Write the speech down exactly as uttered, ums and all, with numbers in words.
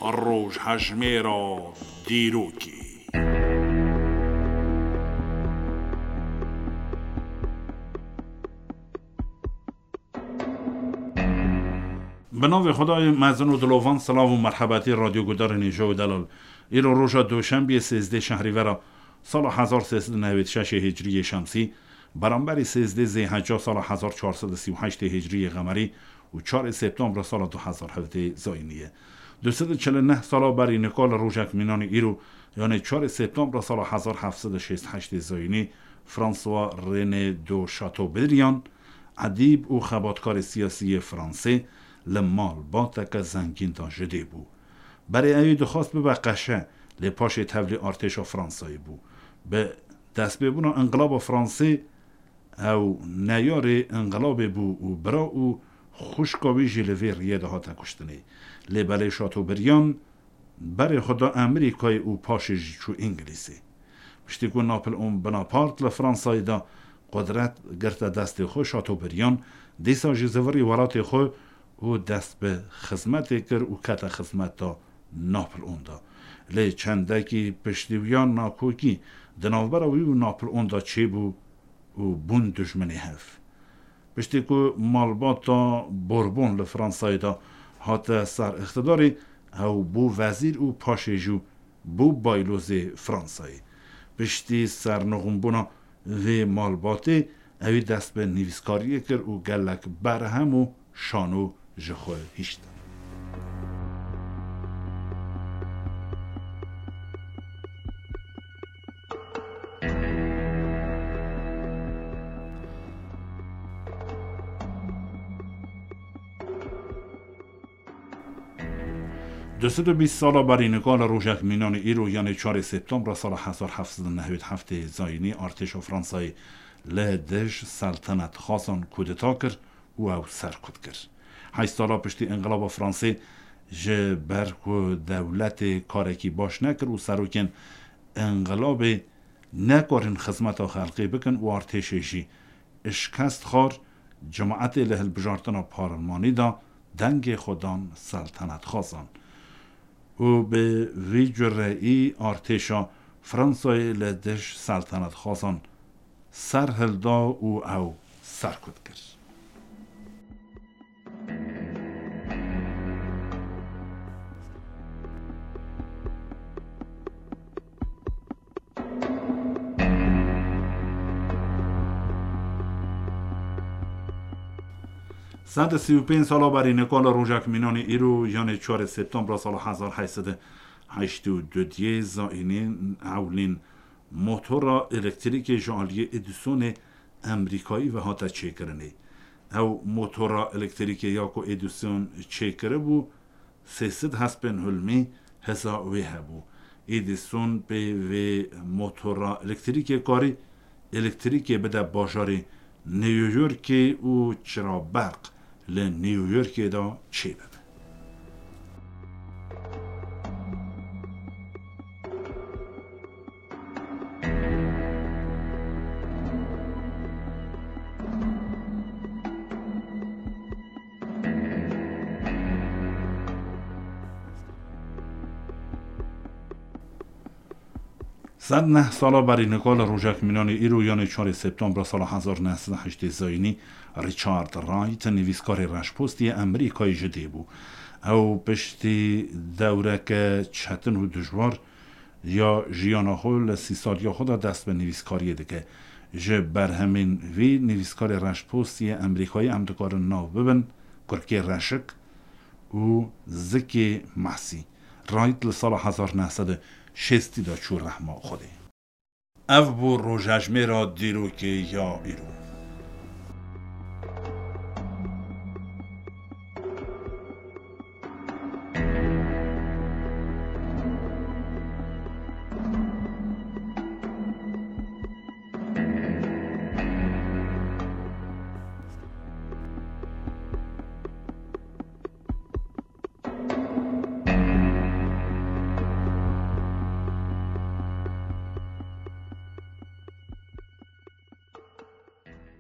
Rojhejmêra dîrokê. Bi navê Xwedayê mezin û dilovan, silav û merhebetî radyogudarên hêja û delal. Îro roja Doşembiyê sêzdeh Şehrîvera sala hezar sê sed û newêd şeşê Hicriyê Şemsî, beramberî sêzdeh Zêheca sala hezar çar sed û sî û heştê Hicriyê Qemerî û çarê Septembra sala du hezar hevdeh Zayînî ye. Du sed û çil û neh sala berî nika li rojek mînanî îro, yanê çarê Septembra sala hezar heft sed û şêst û heştê Zayînî, François René de Chateaubriand, edîb û xebatkarê siyasî yê Fransê, li malbateke zengîn de ji dê bû. Berê ewî dixwest bibe qeşe, lê paşê tevlî artêşa Fransayê bû. Bi destpêbûna Înqilaba Fransê, ew neyarê înqilabê bû û bira û xwişka wî jî li vê riyê de hate kuştinê. Lê belê Chateaubriand berê xwe da Amerîkayê û paşê jî çû Îngilîzê. Piştî ku Napoleon Bonaparte li Fransayê de qudret girte destê xwe, Chateaubriand dîsa jî zivirî welatê xwe û dest bi xizmetê kir û kete xizmeta Napoleon de. Lê çendekî piştî wiya nakokî di navbera wî û Napoleon de çêbû û bûn dijminê hev. Piştî ku malbata Bourbon li Fransayê de hate ser îqtidarê, ew bû wezîr û paşê jî bû baylozê Fransayê. Piştî sernixûnbûna vê malbatê, ewî dest bi nivîskariyê kir û gelek berhem û şano ji xwe hiştin. Du sed û bîst sala berî nika li rojek mînanê îro, yanê çarê Septembra sala hezar heft sed û newêd heftê Zayînî, artêşa Fransayê li dij seltenetxwazan kudeta kir û ew serkut kir. Heşt sala piştî Înqilaba Fransê, ji ber ku dewletê karekî baş nekir û serokên înqilabê nekarin xizmeta xelkê bikin û artêşê jî şikest xwar, cemaetê li hilbijartina parlemanî de dengê xwe dan seltenetxwazan û bi vî cureyî artêşa Fransayê li dij seltenetxwazan ser hilda û ew serkut kir. Sed û sî û pênc sala berî nika li rojek mînanê îro, yanê çarê Septembra sala hezar heyt sed û heştê û du diyê Zayînî, ewlîn motora elektrîkê ji aliyê Edisonê Amerîkayî ve hate çêkirinê. Ew motora elektrîkê ya ku Edison çêkiribû, sê sed hespên hulmî hêza wê hebû. Edison pê vê motora elektrîkê karî elektrîkê bide bajarê New Yorkê û çiraberq li New Yorkê de çêbibe. Sed neh sala berî nika li rojek mînanê îro, yanê çarê Septembra sala hezar neh sed û heştê Zayînî, Richard Wright, nivîskarê reşpostî yê Amerîkayê ji dê bû. Ew piştî dewreke çetin û dijwar ya jiyana xwe li sî saliya xwe de dest bi nivîskariyê dike. Ji berhemên vî nivîskarê reşpostî yê Amerîkayê em dikarin nav bibin Kurkê Reşik û Zikê Mesî. Wright li sala hezar neh sed û şêstî de çû rehma Xwedê. Ev bû rojejmêra dîrokê ya îro.